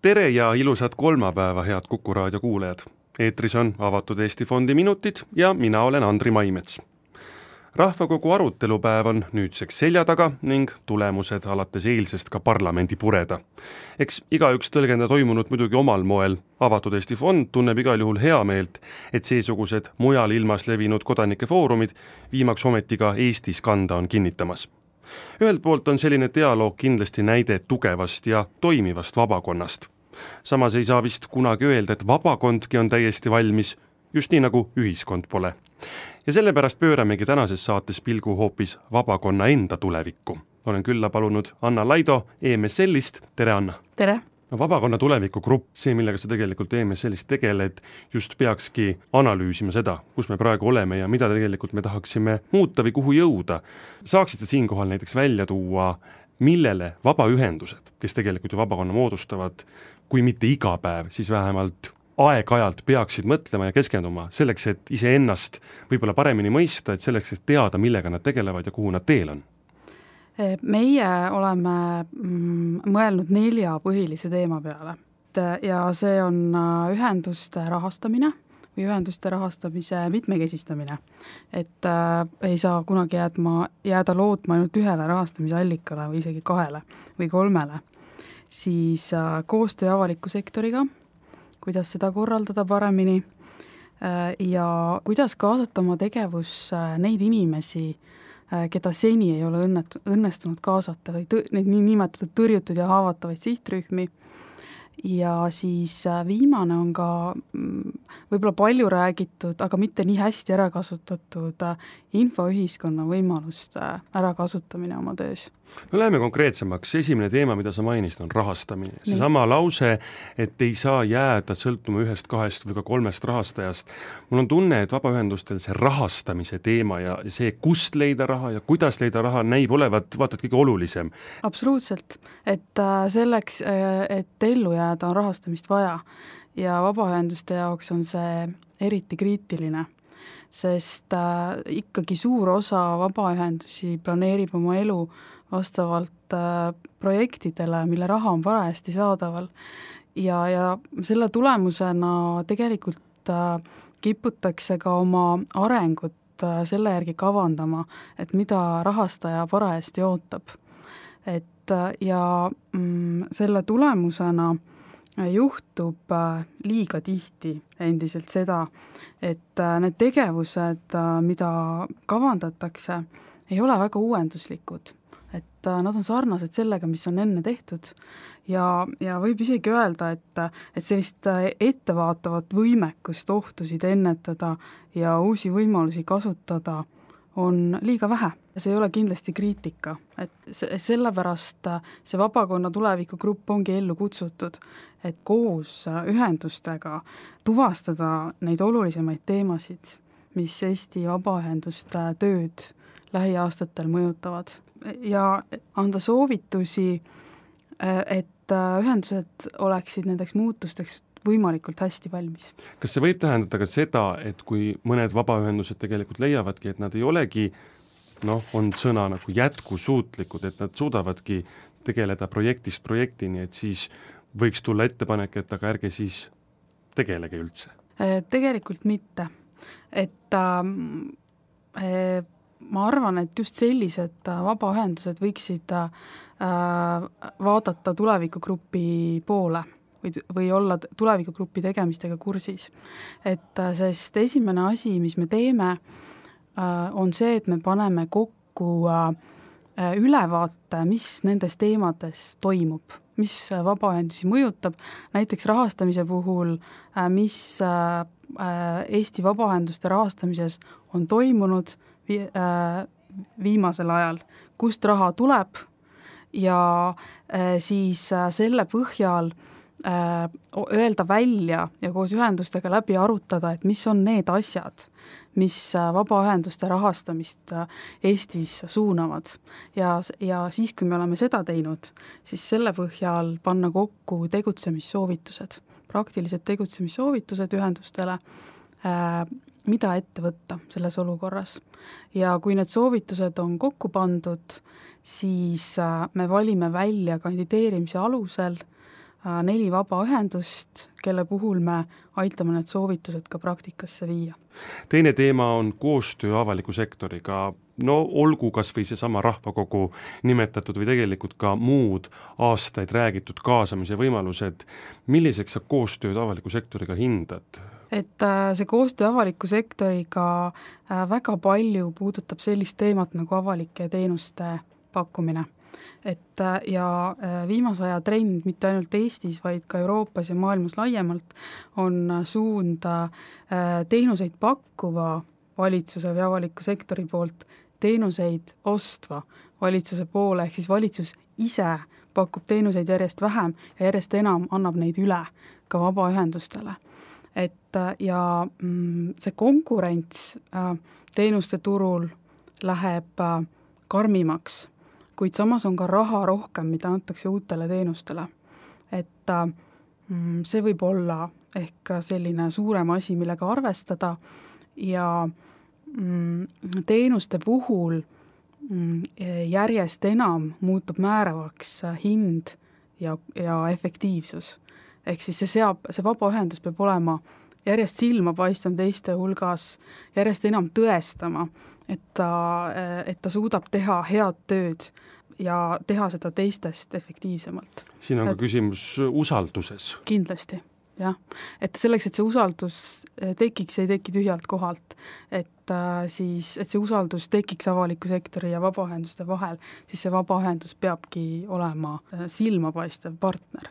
Tere ja ilusat kolmapäeva, head Kuku raadio kuulajad. Eetris on Avatud Eesti Fondi minutid ja mina olen Andri Maimets. Rahvakogu arutelupäev on nüüdseks selja taga ning tulemused alates eilsest ka parlamendi pureda. Eks igaüks tõlgenda toimunut muidugi omal moel. Avatud Eesti Fond tunneb igal juhul hea meelt, et seesugused mujal ilmas levinud kodanike foorumid viimaks ometi ka Eestis kanda on kinnitamas. Ühelt poolt on selline dialoog kindlasti näide tugevast ja toimivast vabakonnast. Samas ei saa vist kunagi öelda, et vabakondki on täiesti valmis, just nii nagu ühiskond pole. Ja sellepärast pööramegi tänases saates pilgu hoopis vabakonna enda tulevikku. Olen külla palunud Anna Laido EMSL-ist. Tere, Anna! Tere! No, vabakonna tulevikugrupp, see millega sa tegelikult EMSL-ist tegeled, just peakski analüüsima seda, kus me praegu oleme ja mida tegelikult me tahaksime muuta või kuhu jõuda. Saaksid sa siinkohal näiteks välja tuua, millele vabaühendused, kes tegelikult ju vabakonna moodustavad, kui mitte iga päev, siis vähemalt aeg-ajalt peaksid mõtlema ja keskenduma selleks, et iseennast võib-olla paremini mõista, et selleks, et teada, millega nad tegelevad ja kuhu nad teel on? Meie oleme mõelnud 4 põhilise teema peale ja see on ühenduste rahastamine või ühenduste rahastamise mitmekesistamine. Et ei saa kunagi jääda lootma ainult ühele rahastamise allikale või isegi 2 või 3. Siis koostöö avaliku sektoriga, kuidas seda korraldada paremini ja kuidas kaasata oma tegevus neid inimesi, keda seni ei ole õnnestunud kaasata või neid nii nimetatud tõrjutud ja haavatavaid sihtrühmi. Ja siis viimane on ka võib-olla palju räägitud, aga mitte nii hästi ära kasutatud infoühiskonna võimaluste ärakasutamine oma töös. No läheme konkreetsemaks. Esimene teema, mida sa mainisid, on rahastamine. Seesama lause, et ei saa jääda sõltuma 1, 2 või ka 3 rahastajast. Mul on tunne, et vabaühendustel see rahastamise teema ja see, kust leida raha ja kuidas leida raha, näib olevat vaatad kõige olulisem. Absoluutselt. Et selleks, et ellu jääda, on rahastamist vaja ja vabaühenduste jaoks on see eriti kriitiline, sest ikkagi suur osa vabaühendusi planeerib oma elu vastavalt projektidele, mille raha on parajasti saadaval ja selle tulemusena tegelikult kiputakse ka oma arengut selle järgi kavandama, et mida rahastaja parajasti ootab. Ja selle tulemusena juhtub liiga tihti endiselt seda, et need tegevused, mida kavandatakse, ei ole väga uuenduslikud. Et nad on sarnased sellega, mis on enne tehtud ja võib isegi öelda, et sellist ettevaatavat võimekust ohtusid ennetada ja uusi võimalusi kasutada on liiga vähe. See ei ole kindlasti kriitika, et sellepärast see vabakonna tulevikugrupp ongi ellu kutsutud, et koos ühendustega tuvastada neid olulisemaid teemasid, mis Eesti vabaühenduste tööd lähiaastatel mõjutavad ja anda soovitusi, et ühendused oleksid nendeks muutusteks võimalikult hästi valmis. Kas see võib tähendada ka seda, et kui mõned vabaühendused tegelikult leiavadki, et nad ei olegi, on sõna nagu jätkusuutlikud, et nad suudavadki tegeleda projektist projektini, et siis võiks tulla ettepanek, et aga ärge siis tegelege üldse? Tegelikult mitte. Et ma arvan, et just sellised vabaühendused võiksid vaadata tulevikugrupi poole või olla tulevikugrupi tegemistega kursis. Sest esimene asi, mis me teeme, on see, et me paneme kokku ülevaate, mis nendes teemades toimub, mis vabaühendusi mõjutab, näiteks rahastamise puhul, mis Eesti vabaühenduste rahastamises on toimunud viimasel ajal, kust raha tuleb ja siis selle põhjal öelda välja ja koos ühendustega läbi arutada, et mis on need asjad, mis vabaühenduste rahastamist Eestis suunavad. Ja siis, kui me oleme seda teinud, siis selle põhjal panna kokku tegutsemissoovitused, praktilised tegutsemissoovitused ühendustele, mida ette võtta selles olukorras. Ja kui need soovitused on kokku pandud, siis me valime välja kandideerimise alusel 4 vabaühendust, kelle puhul me aitame need soovitused ka praktikasse viia. Teine teema on koostöö avaliku sektoriga. No olgu kas või seesama rahvakogu nimetatud või tegelikult ka muud aastaid räägitud kaasamise võimalused. Milliseks sa koostööd avaliku sektoriga hindad? Et see koostöö avaliku sektoriga väga palju puudutab sellist teemat nagu avalike teenuste pakkumine. Ja viimase aja trend mitte ainult Eestis, vaid ka Euroopas ja maailmas laiemalt on suund teenuseid pakkuva valitsuse või avaliku sektori poolt teenuseid ostva valitsuse poole, ehk siis valitsus ise pakub teenuseid järjest vähem ja järjest enam annab neid üle ka vabaühendustele. Ja see konkurents teenuste turul läheb karmimaks, kuid samas on ka raha rohkem, mida antakse uutele teenustele. See võib olla ehk selline suurem asi, millega arvestada ja teenuste puhul järjest enam muutub määravaks hind ja efektiivsus. Ehk siis see vabaühendus peab olema järjest silmapaistvam teiste hulgas, järjest enam tõestama, et ta suudab teha head tööd ja teha seda teistest efektiivsemalt. Siin on ka küsimus usalduses. Kindlasti, jah. Et selleks, et see usaldus tekiks, ei teki tühjalt kohalt, et see usaldus tekiks avaliku sektori ja vabaühenduste vahel, siis see vabaühendus peabki olema silmapaistev partner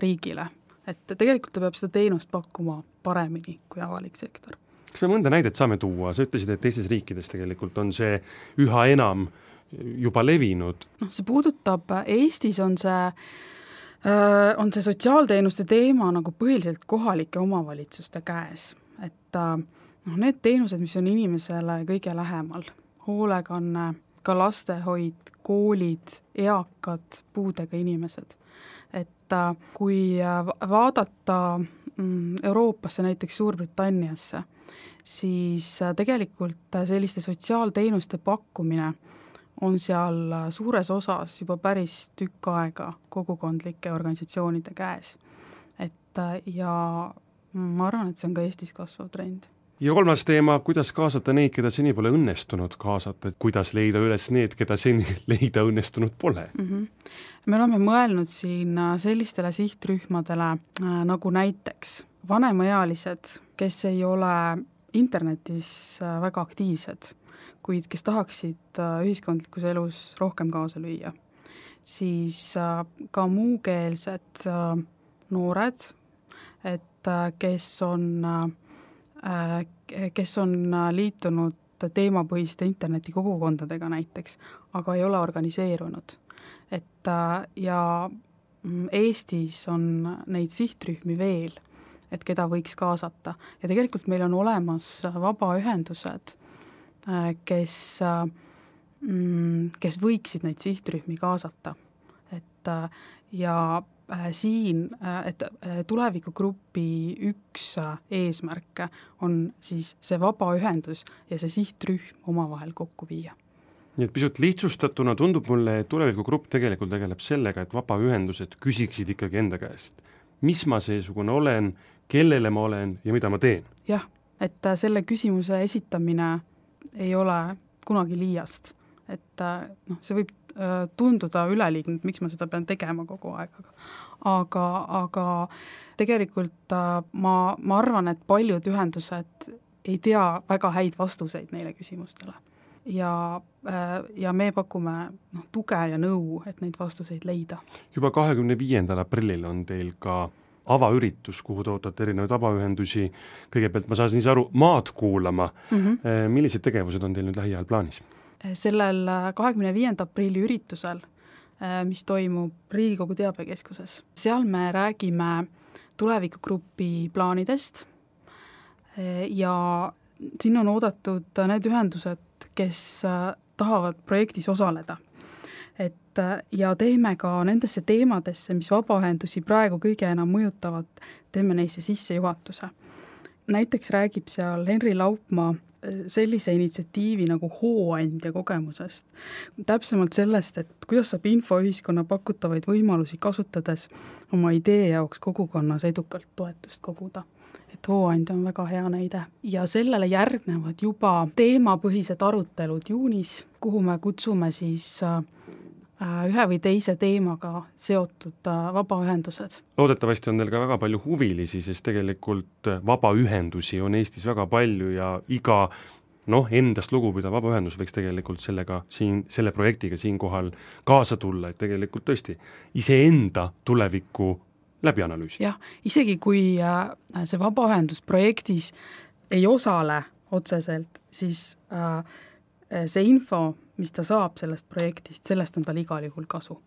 riigile. Et tegelikult ta peab seda teenust pakkuma paremini kui avalik sektor. Kas me mõnda näidet saame tuua? Sa ütlesid, et teistes riikides tegelikult on see üha enam juba levinud. See puudutab, Eestis on see sotsiaalteenuste teema nagu põhiliselt kohalike omavalitsuste käes. Et need teenused, mis on inimesele kõige lähemal, hoolekanne, ka lastehoid, koolid, eakad, puudega inimesed. Et kui vaadata Euroopasse, näiteks Suurbritanniasse, siis tegelikult selliste sotsiaalteenuste pakkumine on seal suures osas juba päris tükk aega kogukondlike organisatsioonide käes. Ja ma arvan, et see on ka Eestis kasvav trend. Ja kolmas teema, kuidas kaasata neid, keda seni pole õnnestunud kaasata, kuidas leida üles need, keda seni leida õnnestunud pole? Me oleme mõelnud siin sellistele sihtrühmadele nagu näiteks vanemaealised, kes ei ole internetis väga aktiivsed, kuid kes tahaksid ühiskondlikus elus rohkem kaasa lüüa. Siis ka muukeelsed noored, kes on liitunud teemapõhiste internetikogukondadega näiteks, aga ei ole organiseerunud. Ja Eestis on neid sihtrühmi veel, et keda võiks kaasata. Ja tegelikult meil on olemas vabaühendused, kes võiksid neid sihtrühmi kaasata. Ja siin, et tulevikugrupi üks eesmärk on siis see vabaühendus ja see sihtrühm omavahel kokku viia. Nii et pisut lihtsustatuna tundub mulle, et tulevikugrupp tegelikult tegeleb sellega, et vabaühendused küsiksid ikkagi enda käest. Mis ma seesugune olen, kellele ma olen ja mida ma teen? Jah, et selle küsimuse esitamine ei ole kunagi liiast. See võib tunduda üleliigne, miks ma seda pean tegema kogu aeg. Aga tegelikult ma arvan, et paljud ühendused ei tea väga häid vastuseid neile küsimustele. Ja me pakume tuge ja nõu, et neid vastuseid leida. Juba 25. aprillil on teil ka avaüritus, kuhu tootate erinevaid vabaühendusi. Kõigepealt ma saan siis aru, maad kuulama. Millised tegevused on teil nüüd lähiajal plaanis? Sellel 25. aprilli üritusel, mis toimub Riigikogu teabekeskuses. Seal me räägime tulevikugrupi plaanidest ja siin on oodatud need ühendused, kes tahavad projektis osaleda. Ja teeme ka nendesse teemadesse, mis vabaühendusi praegu kõige enam mõjutavad, teeme neisse sissejuhatuse. Näiteks räägib seal Henri Laupmaa sellise initsiatiivi nagu hooandja kogemusest. Täpsemalt sellest, et kuidas saab infoühiskonna pakutavaid võimalusi kasutades oma idee jaoks kogukonnas edukalt toetust koguda. Et hooandja on väga hea näide. Ja sellele järgnevad juba teemapõhised arutelud juunis, kuhu me kutsume siis ühe või teise teemaga seotud vabaühendused. Loodetavasti on teil ka väga palju huvilisi, sest tegelikult vabaühendusi on Eestis väga palju ja iga endast lugupidav vabaühendus võiks tegelikult selle projektiga siinkohal kaasa tulla, et tegelikult tõesti iseenda tulevikku läbi analüüsida. Jah, isegi kui see vabaühendusprojektis ei osale otseselt, siis see info, mis ta saab sellest projektist, sellest on tal igal juhul kasu.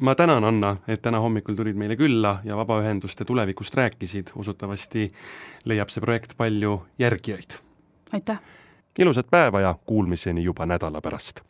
Ma tänan, Anna, et täna hommikul tulid meile külla ja vabaühenduste tulevikust rääkisid. Usutavasti leiab see projekt palju järgijaid. Aitäh! Ilusat päeva ja kuulmiseni juba nädala pärast!